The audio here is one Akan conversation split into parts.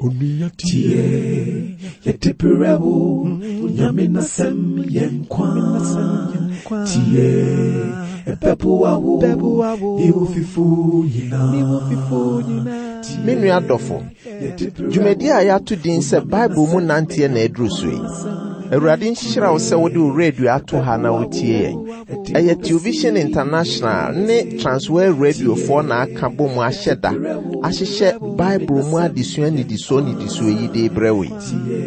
Tie, yɛde berɛ wo, Nyame n'asɛm yɛ nkwa. Tie, ɛbɛboa wo, ne wo fifo nyinaa. Me nua dɔfo, dwumadi a yɛato din sɛ Bible mu nanteɛ na aduru so yi. Awurade nhyira wo sɛ wode wo radio ato ha na wotie yɛn. Ɛyɛ Television International ne Transworld Radiofoɔ na aka bɔ mu ahyɛ da ahyehyɛ Bible mu adesua nnidisoɔ nnidisoɔ yi de rebrɛ wo yi.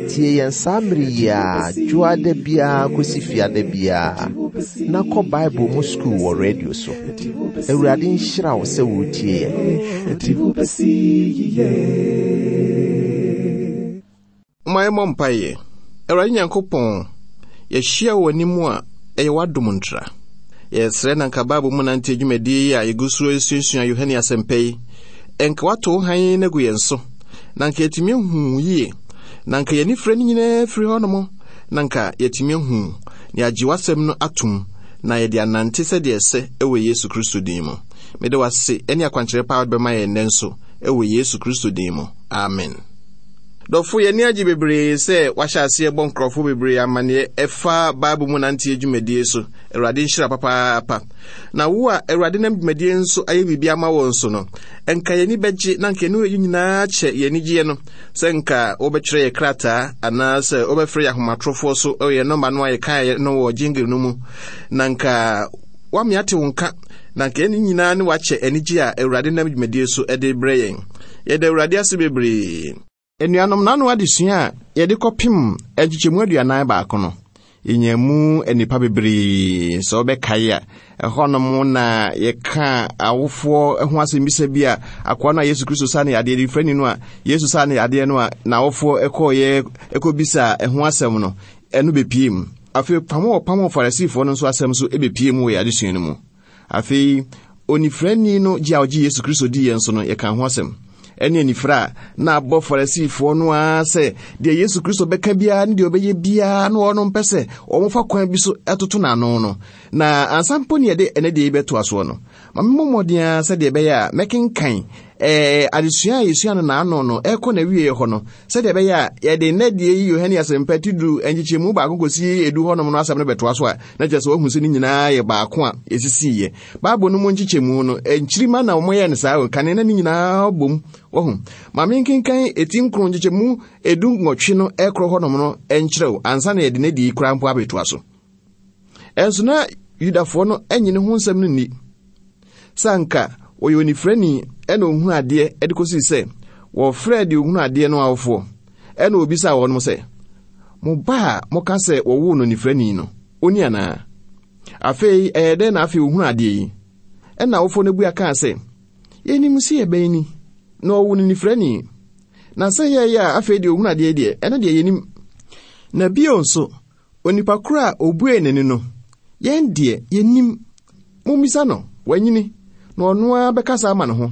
Tie yɛn saa mmere yi ara, dwoada biara kɔsi fiada biara, na kɔ Bible mu sukuu wɔ radio so. Awurade nhyira wo sɛ woretie yɛn. Momma yɛmmɔ mpaeɛ. Awurade Nyankopɔn, yɛahyia wɔ w'anim a ɛyɛ w'adom ntra. Yɛsrɛ na nka Bible mu nante adwumadie yi a yɛgu so resuasua Yohane Asɛmpa yi, nka woato wo hann no agu yɛn so, na nka yɛatumi ahu wo yie, na nka yɛn anifirɛ no nyinaa firi hɔnom, na nka yɛatumi ahu wo, na yɛagye w'asɛm no atom, na yɛde anante sɛdeɛ ɛsɛ wɔ Yesu Kristo din mu. Mede w'ase ne akwankyerɛ pa a wode bɛma yɛn nnɛ nso wɔ Yesu Kristo din mu. Amen. Dɔfo, yɛn ani agye bebree sɛ wahyɛ aseɛ bɔ nkurɔfo bebree amanneɛ ɛfa Bible mu nanteɛ dwumadie so. Awurade nhyira papaapa. Na wo a Awurade nam dwumadie nso ayɛ biribi ama wo nso no, nka yɛn ani bɛgye na nka yɛne yɛn nyinaa kyɛ yɛn anigyeɛ no sɛ nka wobɛtwerɛ yɛ krataa anaasɛ wobɛfrɛ yɛ ahomatorofoɔ so wɔ yɛn nɔmba no a yɛkaeɛ no wɔ jingle no mu na nka wame ate wo nka na nka yɛn nyinaa ne wakyɛ anigye a Awurade nam dwumadie so de brɛ yɛn. Yɛda Awurade ase bebree. Anuanom, n'ano adesua a yɛde kɔpem nkyekyɛmu 41 no, yɛnya mu nnipa bebree. Sɛ wobɛkae a, ɛhɔnom na yɛka awofoɔ ho asɛmmisa bi a akoa no a Yesu Kristo saa ne yadeɛ, nifrani no a Yesu saa ne yadeɛ no a n'awofoɔ kɔɔyɛ kɔbisa ɛho asɛm no, ɛno bɛpie mu. Afei pam a wɔpam Farisifoɔ no nso asɛm nso bɛpie mu wɔ yɛn adesua no mu. Afei, onifirani no gye a ɔgye Yesu Kristo diiɛ nso no, yɛka ho asɛm. Ɛne anifira a na abɔ Farisifoɔ no ara sɛ deɛ Yesu Kristo bɛka biara ne deɛ ɔbɛyɛ biara no wɔn mpɛ sɛ wɔfa kwan bi so toto n'ano no. Na ansa mpo ne yɛde ɛnɛ deɛ yi bɛtoa soɔ no, ma memmɔ mmɔden ara sɛdeɛ ɛbɛyɛ a mɛkenkan ɛɛ adesua a yɛsua no n'ano no ɛrekɔ n'awieeɛ hɔ no, sɛdeɛ ɛbɛyɛ a yɛde nnɛ deɛ yi Yohane Asɛmpa ti du nkyekyɛmu baako kɔsi edu hɔnom no asɛm no bɛtoa so a, na kyerɛ sɛ wahu sɛ ne nyinaa yɛ baako a ɛsisiiɛ. Bible no mu nkyekyɛmu no, nkyirima na wɔyɛɛ no saa o, kane na ne nyinaa bom. Wahu? Ma menkenkan eti nkron nkyekyɛmu 18 no ɛkorɔ hɔnom no nkyerɛ wo ansa na yɛde n'adi koraa mpo abɛtoa so. Ɛnso na Yudafoɔ no nye ne ho nsɛm no nni. Sɛ anka ɔyɛ onifirani ɛna ɔhunu adeɛ de kɔsii sɛ wɔfrɛɛ deɛ ɔhunu adeɛ no awofoɔ ɛna ɔbisaa wɔnom sɛ, Mo ba a moka sɛ wɔwoo no onifirani no, ɔni anaa? Afei ɛyɛ dɛn na afei ɔhunu adeɛ yi? Ɛna awofoɔ no bua kaa sɛ, Yɛnim sɛ yɛbɛn ni, na ɔwoo no nifirani. Na sɛ yɛyɛ a afei deɛ ɔhunu adeɛ yi deɛ, ɛno deɛ yɛnim. Na bio nso, Onipa koro a obuee n'ani no, yɛn deɛ, yennim. Mummisa no, wanyini, na ɔno ara bɛkasa ama ne ho.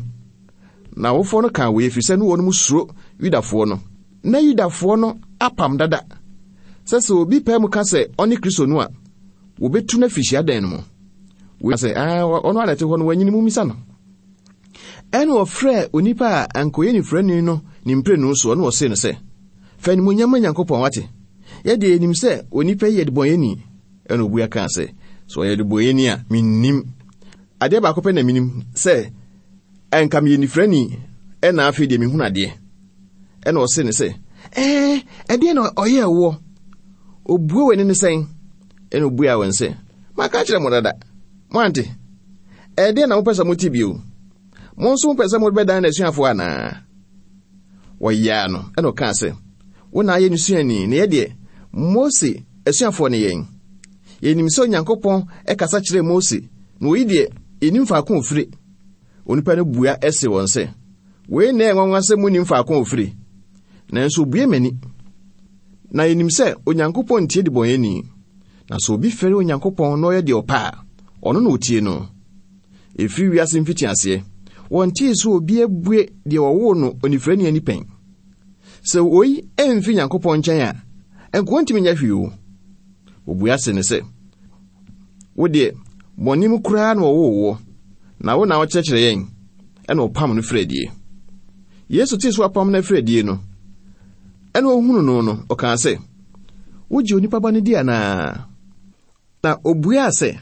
Na awofoɔ no kaa wei ɛfiri sɛ ne wɔnom suro Yudafoɔ no. Na Yudafoɔ no apam dada sɛ sɛ obi pae mu ka sɛ ɔne Kristo no a, wɔbɛtu no afiri hyiadan no mu. Wei sɛ, ɔno ara na ɛte hɔ no, wanyini, mummisa no. Ɛnna ɔfrɛɛ onipa a anka ɔyɛ nifirani no ne mprenu soɔ, na ɔsee no sɛ, Fa animuonyam ma Nyankopɔn, wate? Yɛ deɛ yɛnim sɛ onipa yi yɛ debɔnyɛni. Ɛnna ɔbua kaa sɛ, Sɛ ɔyɛ debɔnyɛni a, mennim. Adeɛ baako pɛ na menim, sɛ anka meyɛ nifirani, ɛnna afei deɛ mehunu adeɛ. Ɛnna ɔsee no sɛ, Ɛɛ, ɛdeɛn na ɔyɛɛ woɔ? Ɔbue w'ani no sɛn? Ɛnna ɔbuaa wɔn sɛ, Maka akyerɛ mo dada, moante? Ɛdeɛn na mopɛ sɛ mote bio? Mo nso mopɛ sɛ mobɛdan n'asuafoɔ anaa? Wɔyaa no, ɛnna ɔkaa sɛ, Wo na ayɛ ne suani, na yɛ deɛ, Mose asuafoɔ ne yɛn. Yɛnim sɛ Onyankopɔn kasa kyerɛɛ Mose, na oyi deɛ, yɛnnim faako a ɔfire. Onipa no bua se wɔn sɛ, Wei na ɛyɛ nwanwa sɛ monnim faako a ɔfire, nanso obue m'ani. Na yɛnim sɛ Onyankopɔn ntie debɔneyɛni, na sɛ obi fɛre Onyankopɔn na ɔyɛ deɛ ɔpɛ a, ɔno na ɔtie no. Ɛfiri wiase mfitiaseɛ, wɔntee sɛ obi abue deɛ wɔwoo no onifirani ani pɛn. Sɛ woi ɛmfiri Nyankopɔn nkyɛn a, ɛnka ɔntumi nyɛ hwee o. Wɔbua se no sɛ, Wo deɛ, bɔne mu koraa na wɔwoo woɔ, na wo na wokyerɛkyerɛ yɛn? Ɛna ɔpam no firi adie. Yesu tee sɛ wɔapam no afiri adie no, Ɛnna ohunuu no no, ɔkaa sɛ, Wogye onipa ba no di anaa? Na obuaa sɛ,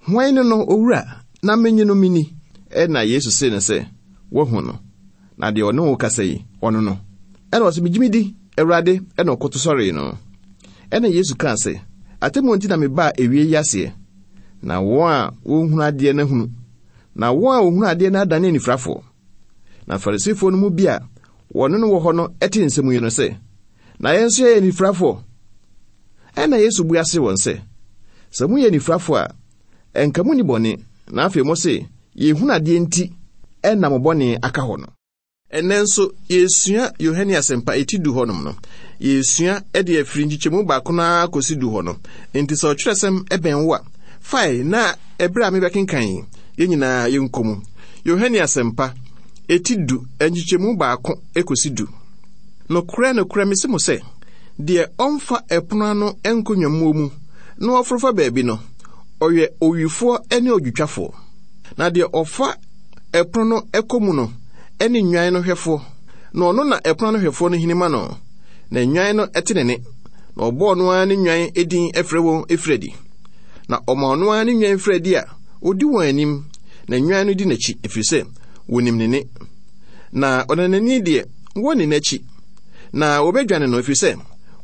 Hwan ne no, Owura, na minnye no minni? Ɛnna Yesu see no sɛ, Woahu no, na deɛ ɔne wo kasa yi, ɔno no. Ɛnna ɔse, Megye midi, Awurade, ɛnna ɔkoto sɔree no. Ɛnna Yesu kaa sɛ, Atemmuo nti na mebaa ewie yi aseɛ, na wɔn a wɔnhunu adeɛ no ahunu, na wɔn a wɔhunu adeɛ no adane anifirafoɔ. Na Farisifoɔ no mu bi a wɔne no wɔ hɔ no tee nsɛm yi no sɛ, Na yɛn nso yɛyɛ anifirafoɔ. Ɛnna Yesu bua see wɔn sɛ, Sɛ moyɛ anifirafoɔ a, ɛnka munni bɔne, na afei mose, 'Yɛhunu adeɛ nti na mo bɔne aka hɔ no. Ɛnnɛ nso, yɛresua Yohane Asɛmpa eti du hɔnom no. Yɛresua de afiri nkyekyɛmu baako no ara kɔsi du hɔ no. Enti sɛ ɔtwerɛsɛm bɛn wo a, fae na ɛberɛ a mebɛkenkan yi, yɛn nyinaa yɛnkɔ mu. Yohane Asɛmpa, eti du, nkyekyɛmu baako kɔsi du. Nokorɛ, nokorɛ, mese mo sɛ, deɛ ɔmfa ɛpono ano nkɔ nnwammuo mu na ɔforo fa baabi no, ɔyɛ owifoɔ ne odwotwafoɔ. Na deɛ ɔfa ɛpono no kɔ mu no ne nnwan no hwɛfoɔ, na ɔno na ɛpono ano hwɛfoɔ no hini ma no, na nnwan no te ne nne, na ɔbɔ ɔno ara ne nnwan din frɛ wɔn firi adi. Na ɔma ɔno ara ne nnwan firi adi a, ɔdi wɔn anim, na nnwan no di n'akyi, ɛfiri sɛ wɔnim ne nne. Na ɔnanani deɛ, wɔnni n'akyi, na wɔbɛdwane no, ɛfiri sɛ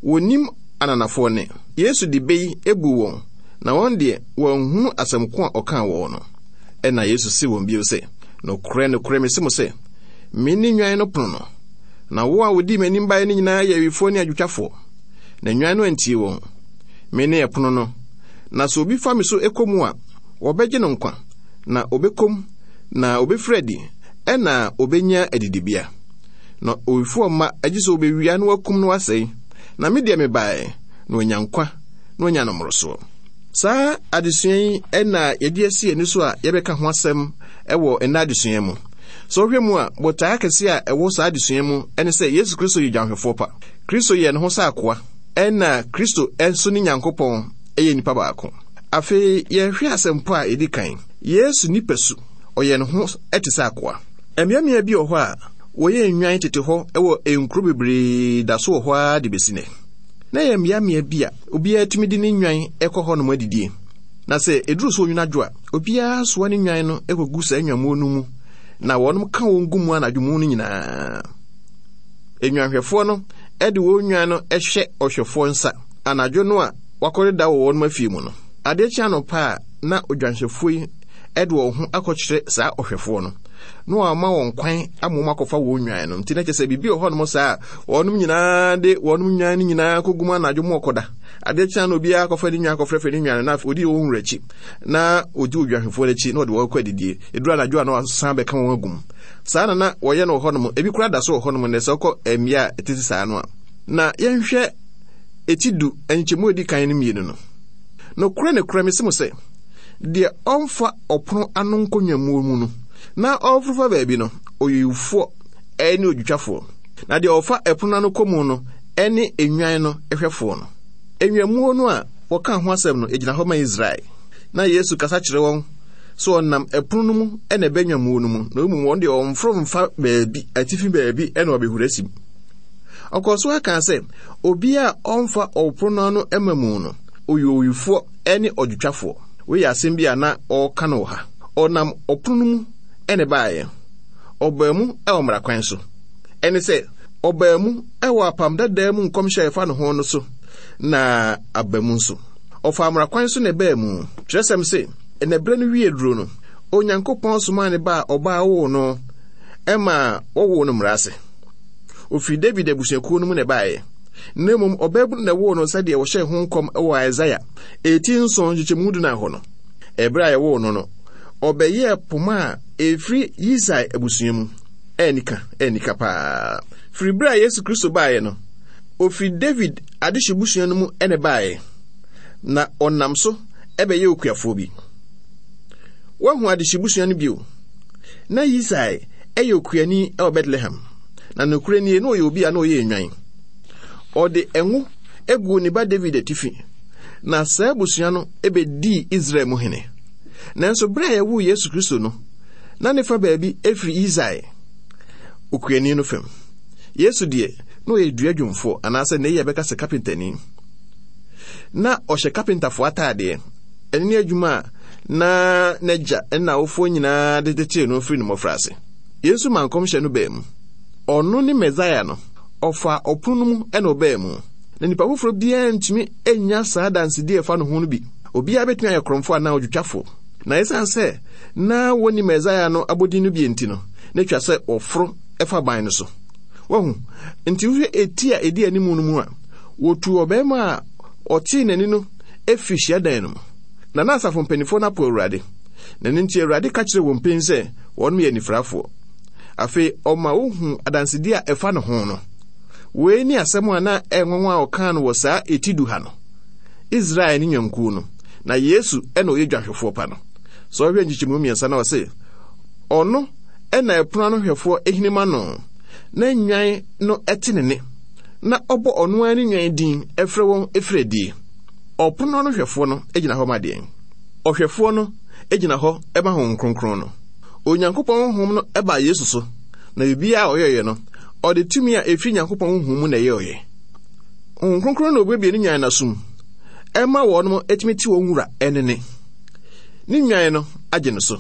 wɔnnim ananafoɔ nne. Yesu de bɛ yi buu wɔn, na wɔn deɛ, wɔanhunu asɛm ko a ɔkaa wɔn no. Ɛnna Yesu see wɔn bio sɛ, Nokorɛ, nokorɛ, mese mo sɛ, mene nnwan no pono no. Na wɔn a wɔdii m'anim baeɛ no nyinaa yɛ awifoɔ ne adwotwafoɔ, na nnwan no antie wɔn. Mene ɛpono no, na sɛ obi fa me so kɔ mu a, wɔbɛgye no nkwa, na ɔbɛkɔ mu, na ɔbɛfiri adi, ɛnna ɔbɛnya adidibea. Na owifoɔ mma, agye sɛ ɔbɛwia na wakum na wasɛe. Na me deɛ mebaeɛ, na wanya nkwa, na wanya no mmorosoɔ. Saa adesua yi na yɛde asi ani so a yɛbɛka ho asɛm wɔ nnɛ adesua mu. Sɛ wohwɛ mu a, botae akɛse a ɛwɔ saa adesua mu ne sɛ Yesu Kristo yɛ dwanhwɛfoɔ pa. Kristo yɛɛ ne ho sɛ akoa, ɛna Kristo nso ne Nyankopɔn yɛ nipa baako. Afei yɛhwɛ asɛmpɔ a ɛdi kan, Yesu nipasu, ɔyɛ ne ho te sɛ akoa. Mmeammea bi wɔ hɔ a wɔyɛ nnwan tete hɔ wɔ nkuro bebree da so wɔ hɔ ara de bɛsi nnɛ. Na ɛyɛ mmeammea bi a obiara tumi de ne nnwan kɔ hɔnom adidie. Na sɛ ɛduru sɛ onwunu adwo a, obiara soa ne nnwan no kɔgu saa nnwammuo no mu, na wɔnom ka wɔn gu mu anadwo mu no nyinaa. Nnwanhwɛfoɔ no de wɔn nnwan no hyɛ ɔhwɛfoɔ nsa anadwo no a wakɔdeda wɔ wɔnom afie mu no. Adeɛ kye anɔpa a, na odwanhwɛfoɔ yi de wɔn ho akɔkyerɛ saa ɔhwɛfoɔ no, na wama wɔn kwan ama wɔn akɔfa wɔn nnwan no. Nti na kyerɛ sɛ biribi wɔ hɔnom saa a, wɔnom nyinaa de wɔnom nnwan no nyinaa kɔgu mu anadwo mu ɔkɔda. Adeɛ kyea no obiara akɔfa ne nnwan akɔfrɛfrɛ ne nnwan no, na afei ɔdi wɔn wura akyi, na ɔdi odwanhwɛfoɔ no akyi, na ɔde wɔn kɔ adidie. Ɛduru anadwo a na wasan bɛka wɔn agu mu. Saa na na wɔyɛ no wɔ hɔnom. Ebi koraa da so wɔ hɔnom nnɛ sɛ wokɔ mmea a ɛtete saa no a. Na yɛnhwɛ eti du nkyɛmu a ɛdi kan no mmienu no. Nokorɛ nokorɛ mese mo sɛ, deɛ ɔmfa ɔpono ano nkɔ nnwammuo mu no, na ɔreforo fa baabi no, ɔyɛ owufoɔ ne odwotwafoɔ. Na deɛ ɔfa ɛpono ano kɔ mu no ne nnwan no hwɛfoɔ no. Nnwammuo no a wɔkaa ho asɛm no gyina hɔ ma Israel. Na Yesu kasa kyerɛ wɔn sɛ ɔnam ɛpono no mu na ɛbɛ nnwammuo no mu, na mmom wɔn deɛ wɔmforo mfa baabi, atifi baabi na wɔabɛhura asim. Ɔkɔɔ so ara kaa sɛ, Obiara a ɔmfa ɔpono no ano mma mu no, ɔyɛ owifoɔ ne ɔdwotwafoɔ. Wei yɛ asɛm bi a na ɔreka no wɔ ha. Ɔnam ɔpono no mu na ɛbaeɛ. Ɔbaa mu wɔ mmara kwan so. Ɛne sɛ, ɔbaa mu wɔ apam dadaa mu nkɔmhyɛ a ɛfa ne ho no so, na aba mu nso. Ɔfaa mmara kwan so na ɛbaa mu. Twerɛsɛm se, na berɛ no wie duro no, Onyankopɔn somaa ne ba a ɔbaa woo no ma wɔwoo no mmara ase. Ɔfiri David abusuakuo no mu na ɛbaeɛ. Na mmom ɔbaabunu na ɛwoo no sɛdeɛ wɔhyɛɛ ho nkɔm wɔ Isaia eti nson nkyekyɛmu dunan hɔ no. Ɛberɛ a yɛwoo no no, ɔbɛyɛɛ poma a ɛfiri Yisai abusua mu. Ɛnika, ɛnika paa. Firi berɛ a Yesu Kristo baeɛ no, ɔfiri David adehye busua no mu na ɛbaeɛ, na ɔnam so bɛyɛɛ okuafoɔ bi. Woahu adehye busua no bio? Na Yisai yɛ okuani wɔ Betlehem, na nokorɛ nie, na ɔyɛ obi a na ɔyɛ nnwan. Ɔde ngo guu ne ba David atifi, na saa abusua no bɛdii Israel mu hene. Nanso berɛ a yɛwoo Yesu Kristo no, na ne fa baabi firi Yisai, okuani no fam. Yesu deɛ, Na ɔyɛ dua dwumfoɔ, anaasɛ nnɛ yi yɛbɛka sɛ kapentani. Na ɔhyɛ kapentafoɔ ataadeɛ. Ɛno ne adwuma a na n'agya ne n'awofoɔ nyinaa de tetee no firi ne mmɔfraase. Yesu maa nkɔmhyɛ no baa mu. Ɔno ne Mesaia no. Ɔfaa ɔpono no mu na ɔbaa mu. Na nipa foforɔ biara ntumi nnya saa adansedie a ɛfa ne ho no bi. Obiara bɛtumi ayɛ korɔmfoɔ anaa odwotwafoɔ. Na ɛsiane sɛ na wɔnni Mesaia no abodin no bi nti no, na ɛtwa sɛ wɔforo fa ban no so. Wahu? Nti wohwɛ eti a ɛdi anim no mu a, wɔtuu ɔbarima a ɔtee n'ani no firi hyiadan no mu. Na na asafo mpanimfoɔ no apo Awurade. Na ɛno nti Awurade ka kyerɛɛ wɔn pen sɛ wɔnom yɛ anifirafoɔ. Afei ɔma wohuu adansedie a ɛfa ne ho no. Wei ne asɛm a na ɛyɛ nwanwa a ɔkaa no wɔ saa eti du ha no. Israel ne nnwankuo no, na Yesu na ɔyɛ dwanhwɛfoɔ pa no. Sɛ ɔhwɛ nkyekyɛmu mmiɛnsa na ɔse, ɔno na ɛpono ano hwɛfoɔ hinima no, na nnwan no te ne nne, na ɔbɔ ɔno ara ne nnwan din frɛ wɔn firi adie. Ɔpono ano hwɛfoɔ no gyina hɔ ma deɛn? Ɔhwɛfoɔ no gyina hɔ ma Honhom Kronkron no. Onyankopɔn Honhom no baa Yesu so, na biribiara a ɔyɛeɛ no, ɔde tumi a ɛfiri Nyankopɔn Honhom mu na ɛyɛeɛ. Honhom Kronkron na obuebue ne nnwan no asom ɛma wɔn tumi te wɔn wura ɛne ne. Ne nnwan no agye no so.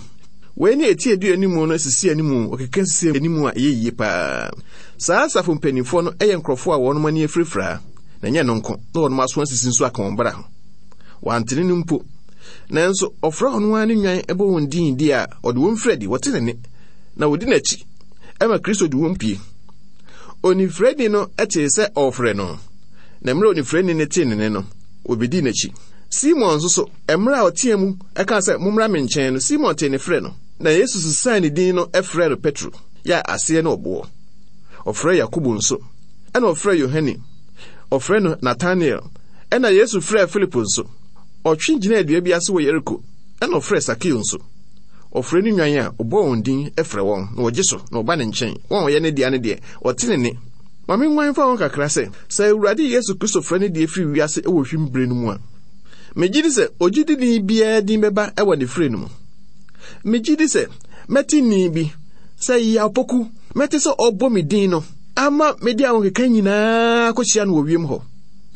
Wei ne eti edu anim no sisi anim, ɔkeka sisi anim a ɛyɛ yie paa. Saa asafo mpanimfoɔ no yɛ nkurɔfoɔ a wɔn ani afirafira, na ɛnyɛ no nko, na wɔn aso asisi nso aka wɔn bra ho. Wɔantene no mpo. Nanso ɔfrɛ ɔno ara ne nnwan bɔ wɔn din di a ɔde wɔn firi adi, wɔte ne nne, na wɔdi n'akyi ɛma Kristo de wɔn pie. Onifirani no tee sɛ ɔrefrɛ no, na mmerɛ onifirani no tee ne nne no, obedii n'akyi. Simon nso so, mmerɛ a ɔteɛ mu kaa sɛ, Mommra me nkyɛn no, Simon tee ne frɛ no, na Yesu sesaa ne din no frɛɛ no Petro, yɛ a aseɛ ne ɔboɔ. Ɔfrɛɛ Yakobo nso, ɛna ɔfrɛɛ Yohane, ɔfrɛɛ no Natanael, ɛna Yesu frɛɛ Filipo nso. Ɔtwe gyinaa dua bi ase wɔ Yeriko, ɛna ɔfrɛɛ Sakeo nso. Ɔfrɛ ne nnwan a, ɔbɔ wɔn din frɛ wɔn, na wɔgye so, na wɔba ne nkyɛn. Wɔn a wɔyɛ ne dea no deɛ, wɔte ne nne. Ma menguan mfa ho kakra sɛ, sɛ Awurade Yesu Kristo frɛ ne deɛ firi wiase wɔ hwim bere no mu a, megye di sɛ ogyidini biara din bɛba wɔ ne frɛ no mu. Megye di sɛ mɛte nne bi sɛ Yaw Poku, mɛte sɛ ɔrebɔ me din no ama mede ahokeka nyinaa akɔhyia no wɔ wiem hɔ.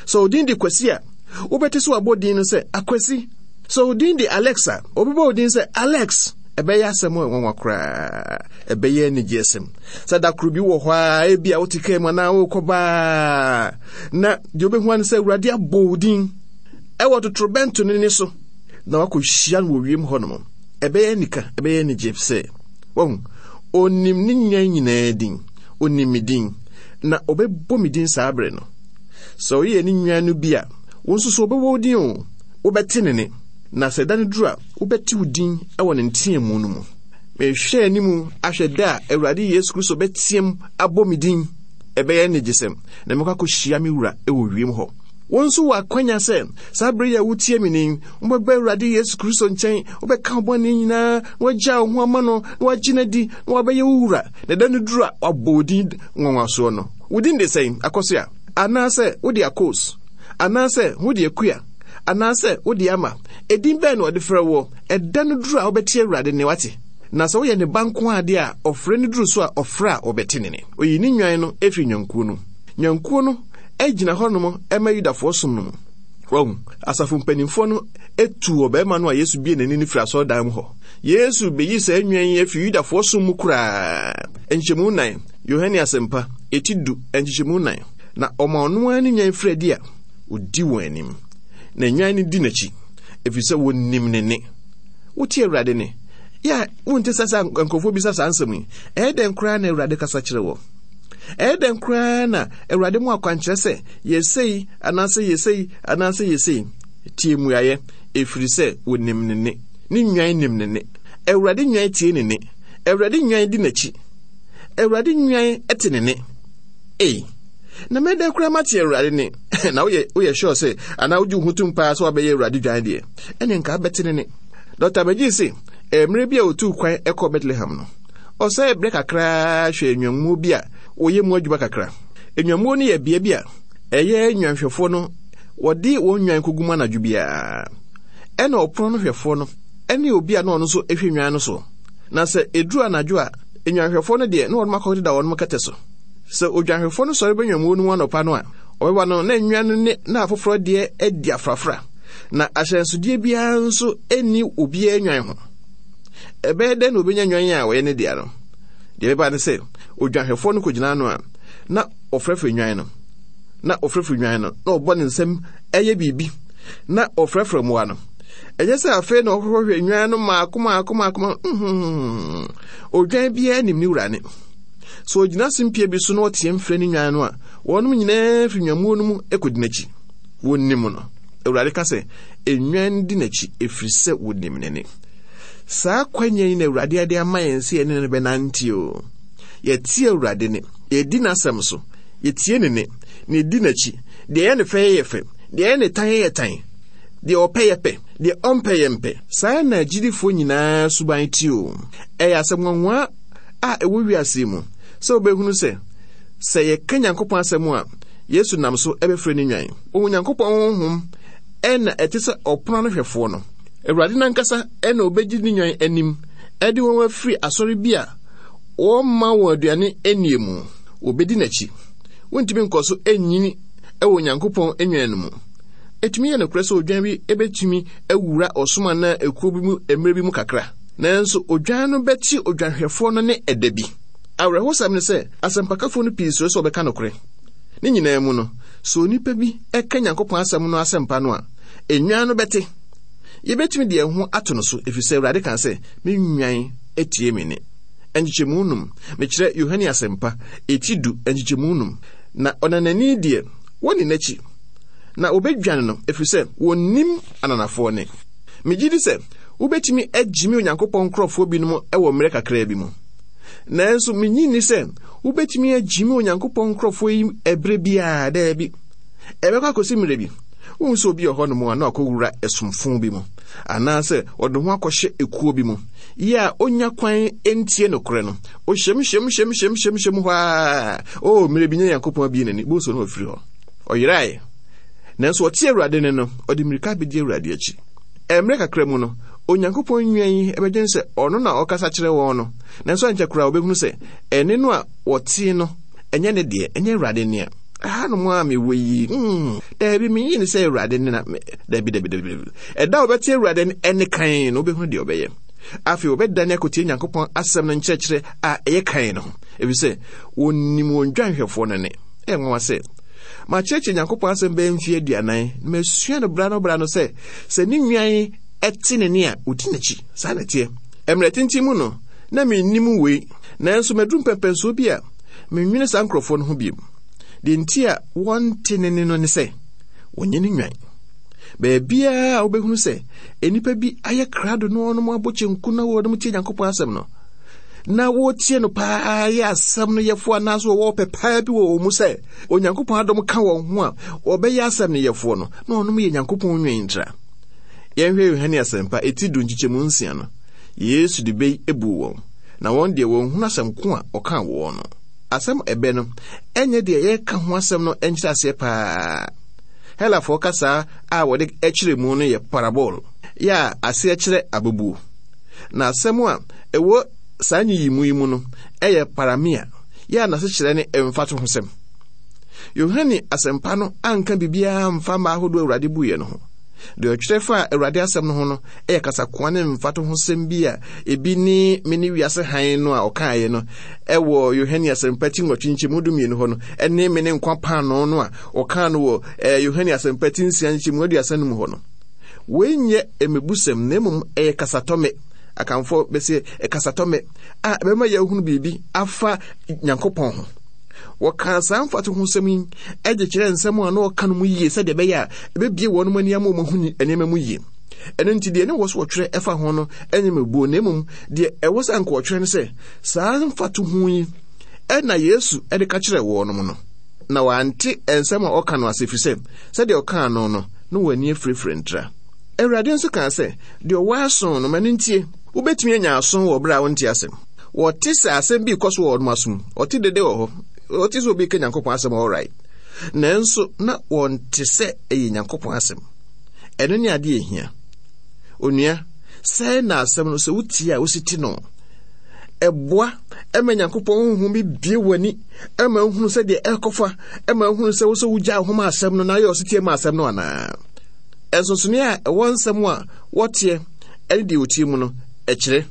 Sɛ wo din de Kwasi a, wobɛte sɛ wabɔ din no sɛ Akwasi. Sɛ wo din de Alex a, wɔbɛbɔ wo din sɛ Alex. Ɛbɛyɛ asɛm a ɛnwanwa koraa. Ɛbɛyɛ anigyesɛm. Sɛ da koro bi wɔ hɔ a, ebi a wote kaa mu anaa worekɔ baa, na deɛ wobɛhu ano sɛ Awurade abɔ wo din ɛwɔ totorobɛnto no ne so, na wakɔhyia no wɔ wiem hɔnom. Ɛbɛyɛ anika, ɛbɛyɛ anigye sɛ, wahu, onim ne nnwan nyinaa din, onim me din, na ɔbɛbɔ me din saa bere no. Sɛ ɔyɛ ne nnwan no bi a, wo nso so ɔbɛbɔ wo din o, wobɛte ne ne, na sɛ da no duru a, wobɛte wo din wɔ ne nteamu no mu. Mehwɛ anim ahwɛ da a Awurade Yesu Kristo bɛteam abɔ me din. Ɛbɛyɛ anigyesɛm, na mɛkɔ akɔhyia me wura wɔ wiem hɔ. Wo nso wɔ akwanya sɛ saa bere yi a wotie me ni, wobɛba Awurade Yesu Kristo nkyɛn, wobɛka wo bɔne nyinaa, na woagyaa wo ho ama no, na woagye no adi, na wabɛyɛ wo wura. Na da no duru a, wabɔ wo din nwanwasoɔ no. Wo din de sɛn, Akɔsoa? Anaasɛ wode Akos? Anaasɛ wode Akua? Anaasɛ wode Ama? Edin bɛn na wɔde frɛ woɔ? Ɛda no duru a wobɛte Awurade nne, wate? Na sɛ woyɛ ne ba nko ara deɛ a, ɔfrɛ no duru so a, ɔfrɛ a wɔbɛte ne nne. Oyi ne nnwan no firi nnwankuo no mu. Nnwankuo no gyina hɔnom ma Yudafoɔ som no mu. Wahu? Asafo mpanimfoɔ no tuu ɔbarima no a Yesu bue n'ani no firi asɔredan mu hɔ. Yesu beyi saa nnwan yi afiri Yudafoɔ som mu koraa. Nkyɛmu nnan, Yohane Asɛmpa, eti du, nkyekyɛmu nnan. Na ɔma ɔno ara ne nnwan firi adi a, odi wɔn anim. Na nnwan no di n'akyi, ɛfiri sɛ wɔnim ne nne. Wote Awurade nne? Yɛ a wonte sɛ sɛ nkurɔfoɔ bisa saa nsɛm yi. Ɛyɛ dɛn koraa na Awurade kasa kyerɛ wɔ? Ɛyɛ dɛn koraa na Awurade mu akwankyerɛ sɛ yɛsei anaasɛ yɛsei anaasɛ yɛsei? Tie mmuaeɛ, ɛfiri sɛ wɔnim ne nne. Ne nnwan nim ne nne. Awurade nnwan tie ne nne. Awurade nnwan di n'akyi. Awurade nnwan te ne nne. Ei, na mɛdɛn koraa mate Awurade nne? Na woyɛ woyɛ sure sɛ anaa wogye wo ho tom paa sɛ wabɛyɛ Awurade dwan deɛ? Ɛne nka abɛte ne nne. Dɔkta Magee se, mmerɛ bi a ɔtuu kwan kɔɔ Bethlehem no, ɔsɛee berɛ kakraa hwɛɛ nnwammuo bi a wɔyɛ mu adwuma kakra. Nnwammuo no yɛ bea bi a ɛyɛ nnwanhwɛfoɔ no wɔde wɔn nnwan kɔgu mu anadwo biara. Ɛna ɔpono no hwɛfoɔ no ne obi a na ɔno nso hwɛ nnwan no soɔ. Na sɛ ɛduru anadwo a, nnwanhwɛfoɔ no deɛ na wɔnom akɔdeda wɔnom kɛtɛ so. Sɛ odwanhwɛfoɔ no sɔre ba nnwammuo no mu anɔpa no a, ɔbɛba no na nnwan no ne na afoforɔ deɛ adi afrafra, na ahyɛnsodeɛ biara nso nni obiara nnwan ho. Ɛbɛyɛ dɛn na obenya nnwan a wɔyɛ ne dea no? Deɛ ɛbɛba ne sɛ, odwanhwɛfoɔ no kɔgyina ano a, na ɔfrɛfrɛ nnwan no, na ɔfrɛfrɛ nnwan no, na ɔbɔ ne nsam ɛyɛ biribi, na ɔfrɛfrɛ mmoa no. Ɛnyɛ sɛ afei na ɔhwehwɛ nnwan no mmaako mmaako mmaako mmaako. Odwan biara nim ne wura ne. Sɛ ɔgyina simpie bi so na ɔteɛm frɛ ne nnwan no a, wɔnom nyinaa fi nnwammuo no mu kɔdi n'akyi. Wɔnim no. Awurade ka sɛ, nnwan di n'akyi ɛfiri sɛ wɔnim ne nne. Saa kwanya yi na Awurade de ama yɛn sɛ yɛne no bɛnante o. Yɛte Awurade ne, yɛdi n'asɛm so, yɛtie ne ne, na yɛdi n'akyi. Deɛ ɛyɛ ne fɛ yɛ fɛ, deɛ ɛyɛ ne tan yɛ tan, deɛ ɔpɛ yɛ pɛ, deɛ ɔmpɛ yɛ mpɛ. Saa na agyidifoɔ nyinaa suban te o. Ɛyɛ asɛm nwanwa a ɛwɔ wiase yi mu sɛ wobɛhunu sɛ, sɛ yɛka Nyankopɔn asɛm a, Yesu nam so bɛfrɛ ne nnwan. Onyankopɔn honhom na ɛte sɛ ɔpono ano hwɛfoɔ no. Awurade no ankasa na obegye ne nnwan anim de wɔn afiri asɔre bi a wɔmma wɔn aduane nnie mu. Wɔbedi n'akyi. Wontumi nkɔ so nnyini wɔ Onyankopɔn nnwan no mu. Etumi yɛ nokorɛ sɛ odwan bi betumi awura ɔsom anaa ekuo bi mu mmerɛ bi mu kakra. Nanso odwan no bɛte odwanhwɛfoɔ no nne ɛda bi. Awerɛhosɛm ne sɛ, asɛmpakafoɔ no pii suro sɛ wɔbɛka nokorɛ. Ne nyinaa mu no, sɛ onipa bi ka Nyankopɔn asɛm no asɛmpa no a, nnwan no bɛte. Yebetumi de yɛn ho ato no so efisɛ Awurade ka sɛ, Me nnwan tie me nne. Nkyekyɛmu num, mekyerɛ Yohane Asɛmpa, eti du, nkyekyɛmu num. Na ɔnanani deɛ, wɔnni n'akyi, na wɔbɛdwane no, ɛfiri sɛ wɔnnim ananafoɔ nne. Megye di sɛ wobɛtumi agyimi Onyankopɔn nkurɔfoɔ binom wɔ mmerɛ kakraa bi mu. Nanso minnye nni sɛ wobɛtumi agyimi Onyankopɔn nkurɔfoɔ yi ɛberɛ biara, daabi. Ɛbɛkɔ akɔsi mmerɛ bi, wohu sɛ obi wɔ hɔnom a na wakɔwura ɛsomfo bi mu, anaasɛ ɔde ho akɔhyɛ ekuo bi mu, yɛ a ɔnya kwan ntie nokorɛ no. Ɔhyɛm hyɛm hyɛm hyɛm hyɛm hyɛm hɔ ara. O, mmerɛ bi nyɛ Nyankopɔn abie n'ani, bohu sɛ ɔno wafiri hɔ. Ɔyerae. Nanso ɔte Awurade nne no, ɔde mmirika bɛdi Awurade akyi. Mmerɛ kakra mu no, Onyankopɔn nnwan yi bɛdwene sɛ ɔno na ɔkasa kyerɛ wɔn no, nanso ankyɛ koraa wɔbɛhunu sɛ ɛnne no a wɔtee no, ɛnyɛ ne deɛ, ɛnyɛ Awurade nne a. Ɛhanom a mewɔ yi, mm, daabi, menyi ne sɛ Awurade nne na, daabi, daabi, daabi, daabi. Ɛda a wɔbɛte Awurade ɛnne kan no, wobɛhunu deɛ ɔbɛyɛ. Afei wɔbɛdane akɔtie Nyankopɔn asɛm no nkyerɛkyerɛ a ɛyɛ kan no ho, ɛfiri sɛ wɔnim wɔn dwanhwɛfoɔ no nne. Ɛyɛ nwanwa sɛ, makyerɛkyerɛ Nyankopɔn asɛm bɛyɛ mfeɛ aduanan, na masua no bra no bra no sɛ, sɛ ne nnwan te ne nne a, ɔdi n'akyi. Saa na ɛteɛ. Mmerɛ tenten mu no, na mennim wei, nanso maduru mpɛmpɛnsoɔ bi a mennwene saa nkurɔfoɔ no ho bio. Deɛ nti a wɔnte ne nne no ne sɛ, wɔnyɛ ne nnwan. Baabiara a wobɛhunu sɛ nnipa bi ayɛ krado na wɔnom abɔ kyenku na wɔnom tie Nyankopɔn asɛm no, na wɔtie no paa yɛ asɛm no yɛfoɔ anaasɛ wɔwɔ pɛ paa bi wɔ wɔn mu sɛ Onyankopɔn adom ka wɔn ho a wɔbɛyɛ asɛm no yɛfoɔ no, na wɔnom yɛ Nyankopɔn nnwan ntra. Yɛnhwɛ Yohane Asɛmpa eti du nkyekyɛmu nsia no. Yesu de bɛ yi buu wɔn, na wɔn deɛ wɔnhunu asɛm ko a ɔkaa wɔn no. Asɛm ɛbɛ no ɛnyɛ deɛ yɛreka ho asɛm no nkyerɛaseɛ paa. Helafoɔ kasaa a wɔde kyerɛ mu no yɛ parabol, yɛ a aseɛ kyerɛ abɛbuo. Na asɛm a ɛwɔ saa nyiyimu yi mu no yɛ paramia, yɛ a n'asekyerɛ ne mfatohosɛm. Yohane Asɛmpa no anka biribiara amfa mma ahodoɔ Awurade buiɛ no ho. Deɛ ɔtwerɛ faa Awurade asɛm no ho no yɛ kasakoa ne mfatohosɛm bi a ebi ne me ne wiase hann no a ɔkaeɛ no ɛwɔ Yohane Asɛmpa ti nwɔtwe nkyɛmu dumienu hɔ no ne me ne nkwa paanoo no a ɔkaa no wɔ eh, Yohane Asɛmpa ti nsia nkyɛmu aduasa no mu hɔ no. Wei nyɛ mmebusɛm na mmom ɛyɛ kasatɔmmɛ. Akanfoɔ bɛsɛ kasatɔmmɛ a ɛbɛma yɛahunu biribi afa Nyankopɔn ho. Wɔkaa saa mfatohosɛm yi de kyerɛɛ nsɛm a na ɔka no mu yie sɛdeɛ ɛbɛyɛ a ɛbɛbie wɔn ani ama wɔahu nneɛma mu yie. Ɛno nti deɛ ne wɔ so wɔtwerɛ ɛfa ho no nyɛ mmebuo na mmom deɛ ɛwɔ sɛ anka wɔtwerɛ no sɛ saa mfatoho yi ɛna Yesu de ka kyerɛɛ wɔn no. Na wɔante nsɛm a ɔka no ase ɛfiri sɛ sɛdeɛ ɔkaa no no na wɔn ani afirafira ntira. Awurade nso kaa sɛ, Deɛ ɔwɔ aso no, ma no ntie. Wobɛtumi anya aso wɔ berɛ a wonte asɛm. Wɔte sɛ asɛm bi rekɔ so wɔ wɔn asom. Wɔte dede wɔ hɔ. Wɔte sɛ obi reka Nyankopɔn asɛm all right. Nanso na wɔnte sɛ ɛyɛ Nyankopɔn asɛm. Ɛno ne adeɛ ehia. Onua, sɛn na asɛm no sɛ wotie a wosi te no? Ɛboa ma Nyankopɔn honhom bi bue w'ani ma wohunu sɛdeɛ ɛrekɔfa ma wohunu sɛ wo sɛ wogyaa wo ho ma asɛm no na ayɛ ɔsetie ma asɛm no anaa. Nsonsonoeɛ a ɛwɔ nsɛm a wɔteɛ ne deɛ wɔtie mu no, ɛkyerɛ.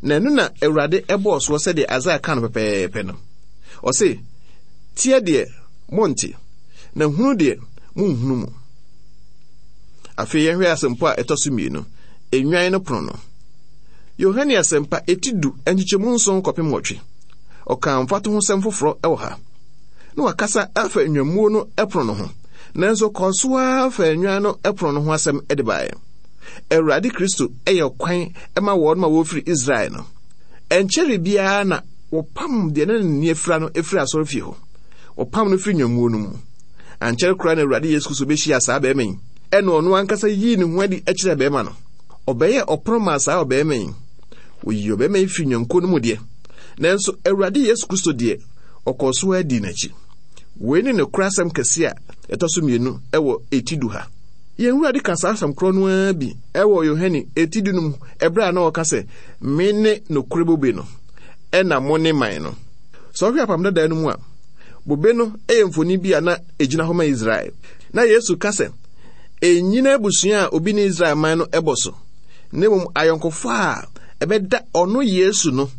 Na ɛno na Awurade bɔɔ soɔ sɛdeɛ Isaiah ka no pɛpɛɛpɛ no. Ɔse, teɛ deɛ monte, na hunu deɛ monhunu mu. Afei yɛnhwɛ asɛmpo a ɛtɔ so mmienu, nnwan no pono no. Yohane Asɛmpa, eti du, nkyekyɛmu nson kɔpem nwɔtwe. Ɔkaa mfatohosɛm foforɔ wɔ ha. Na wakasa afa nnwammuo no pono no ho, nanso ɔkɔɔ so ara faa nnwan no pono no ho asɛm de baeɛ. Awurade Kristo yɛ ɔkwan ma wɔn ma wɔfiri Israel no. Ɛnkyɛre biara na wɔpam deɛ na n'ani afira no firi asɔrefie hɔ. Wɔpam no firi nnwammuo no mu. Ankyɛre koraa na Awurade Yesu Kristo bɛhyiaa saa barima yi, ɛna ɔno ankasa yii ne ho adi kyerɛɛ barima no. Ɔbɛyɛɛ ɔpono maa saa ɔbarima yi. Wɔyii ɔbarima yi firii nnwankuo no mu deɛ, nanso Awurade Yesu Kristo deɛ, ɔkɔɔ so ara dii n'akyi. Wei ne nokorɛ asɛm kɛseɛ a ɛtɔ so mmienu wɔ eti du ha. Yɛn Wurade ka saa asɛm korɔ no ara bi wɔ Yohane eti du no mu ɛberɛ a na ɔka sɛ, Mene nokorɛ bobe no, ɛna mo ne man no. Sɛ wohwɛ Apam Dadaa no mu a, bobe no yɛ mfoni bi a na ɛgyina hɔ ma Israel. Na Yesu ka sɛ, Ennyina abusua a obi ne Israel man no bɔ so, na mmom ayɔnkofa a ɛbɛda ɔno Yesu no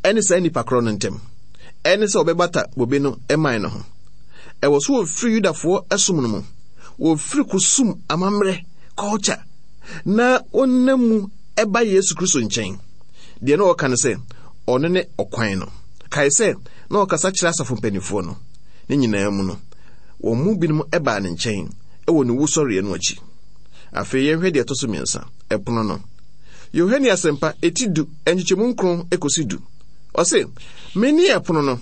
ne saa nnipa korɔ no ntam, ɛne sɛ ɔbɛbata bobe no man no ho. Ɛwɔ so wɔfiri Yudafoɔ som no mu, wɔfiri kusum amammerɛ, culture, na wɔnam mu ɛba Yesu Kristo nkyɛn. Deɛ na ɔka no sɛ, ɔno ne ɔkwan no. Kae sɛ, na ɔkasa kyerɛ asafo mpanimfoɔ no. Ne nyinaa mu no, wɔn mu binom baa ne nkyɛn wɔ ne wusɔreɛ no akyi. Afei yɛnhwɛ deɛ ɛtɔ so mmiɛnsa, ɛpono no. Yohane Asɛmpa, eti du, nkyekyɛmu nkron kɔsi du. Ɔse, Mene ɛpono no.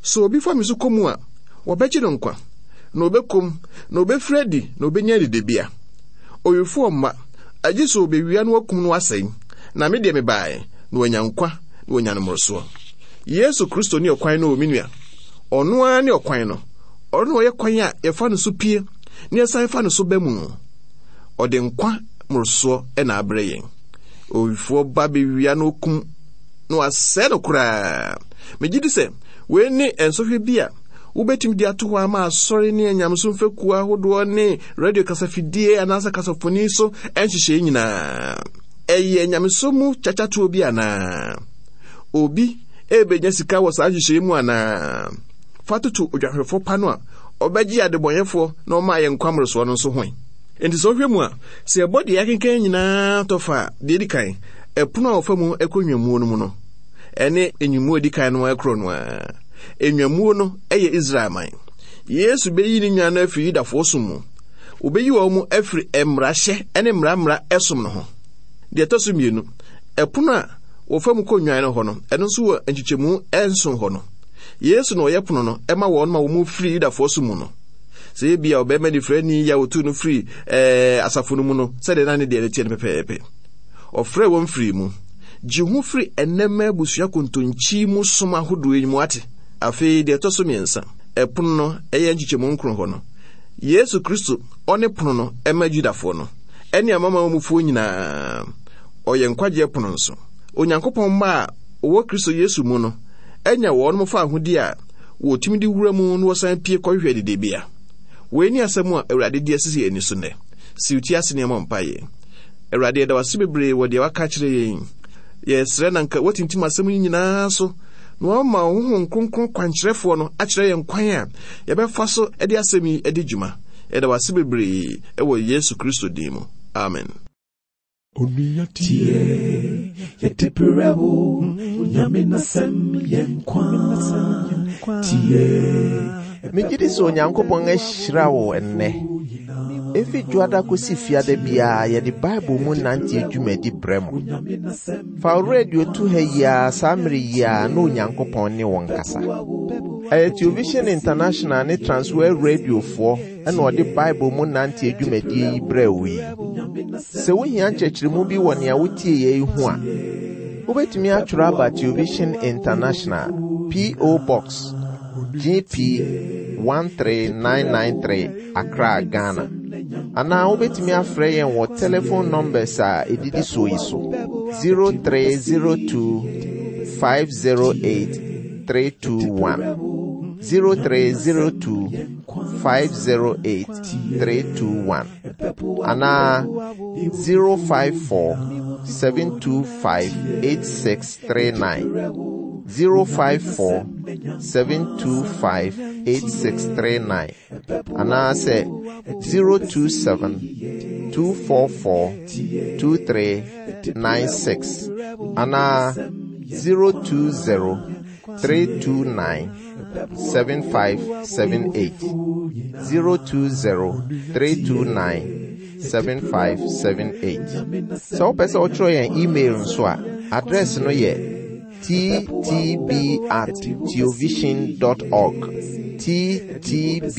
Sɛ obi fa me so kɔ mu a, wɔbɛgye no nkwa, na ɔbɛkɔ mu, na ɔbɛfiri adi, na ɔbɛnya adidibea. Owifoɔ mma, agye sɛ ɔbɛwia na wakum no asɛe, na me deɛ mebaeɛ, na wanya nkwa, na wanya no mmorosoɔ. Yesu Kristo ne ɔkwan no o, me nua. Ɔno ara ne ɔkwan no. Ɔno na ɔyɛ kwan a yɛfa no so pue na yɛsan fa no so ba mu. Ɔde nkwa mmorosoɔ na abrɛ yɛn. Owifoɔ ba bɛwia na ɔkum na wasɛe no koraa. Megye di sɛ wei ne nsɔhwɛ bi a wobɛtumi de ato hɔ ama asɔre ne anyamesom fekuo ahodoɔ ne radio kasafidie anaasɛ kasafoni so nhyehyɛe nyinaa. Ɛyɛ nyamesom mu kyakyatoɔ bi anaa? Obi ɛrebɛnya sika wɔ saa nhyehyɛe mu anaa? Fa toto odwanhwɛfoɔ pa no a ɔbɛgye adebɔnyɛfoɔ na ɔma yɛn nkwa mmorosoɔ no nso ho. Enti sɛ wohwɛ mu a, sɛ yɛbɔ deɛ yɛakenkan nyinaa tɔ fa a, deɛ ɛdi kan, ɛpono a wɔfa mu kɔ nnwammuo no mu no, ɛne nnwammuo a ɛdi kan no korɔ no ara. Nnwammuo no yɛ Israel man. Yesu bɛyi ne nnwan no afiri Yudafoɔ som mu. Wɔbɛyi wɔn mu afiri mmarahyɛ ne mmara mmara som no ho. Deɛ ɛtɔ so mmienu, ɛpono a wɔfa mu kɔ nnwan no hɔ no, ɛno nso wɔ nkyekyɛmu nson hɔ no. Yesu na ɔyɛ pono no ma wɔn ma wɔn firi Yudafoɔ som mu no. Sɛ ebia ɔbarima nifirani yi a wɔtuu no firi ɛɛ asafo no mu no, sɛdeɛ na ne deɛ no teɛ no pɛpɛɛpɛ. Ɔfrɛɛ wɔn firii mu. Gye ho firi ɛnnɛmma abusua kontonkyi mu som ahodoɔ yi mu ate. Afei deɛ ɛtɔ so mmiɛnsa, ɛpono no ɛyɛ nkyekyɛmu nkron hɔ no. Yesu Kristo, ɔne pono no ɛma Judafoɔ no, ɛne amanaman mufoɔ nyinaa. Ɔyɛ nkwagyeɛ pono nso. Onyankopɔn mma a wɔwɔ Kristo Yesu mu no anya wɔn faahodi a wɔtumi de wura mu na wɔsan pue kɔhwehwɛ adidibea. Wei ne asɛm a Awurade de asisi yɛn ani so nnɛ. Siw ti ase na yɛmmɔ mpaeɛ. Awurade, yɛda wo ase bebree wɔ deɛ waka akyerɛ yɛn yi. Yɛsrɛ na nka woatintim asɛm yi nyinaa so na woama wo Honhom Kronkron kwankyerɛfoɔ no akyerɛ yɛn kwan a yɛbɛfa so de asɛm yi adi dwuma. Yɛda wo ase bebree wɔ Yesu Kristo din mu. Amen. Onua tie, yɛde brɛ wo, Onyame n'asɛm yɛ nkwa. Tie. Megye di sɛ Onyankopɔn ahyira wo ɛnnɛ. Efi dwoada kosi fiada biara yɛde Bible mu nante dwumadi brɛ mo. Fa wo radio to ha yi ara saa mmere yi ara na Onyankopɔn ne wo nkasa. Ɛyɛ Television International ne Transworld Radiofoɔ na ɔde Bible mu nante dwumadie yi brɛɛ wo yi. Sɛ wohia nkyerɛkyerɛmu bi wɔ nea wotieeɛ yi ho a, wobɛtumi atwerɛ aba Television International, P.O. Box, GP 13993, Accra, Ghana. Anaa wobɛtumi afrɛ yɛn wɔ telephone numbers a ɛdidi soɔ yi so 0302. 508 321. 0302 508 321 anaa 054 725 8639. 054 725 8639 anaasɛ 027 244 2396 anaa 020 329 7578 020 329 7578. Sɛ wopɛ sɛ wotwerɛ yɛn email nso a, address no yɛ ttb at theovision dot org. Ttb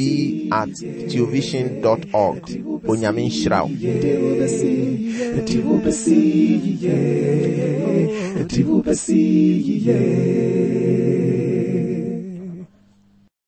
at theovision dot org. Onyame nhyira wo.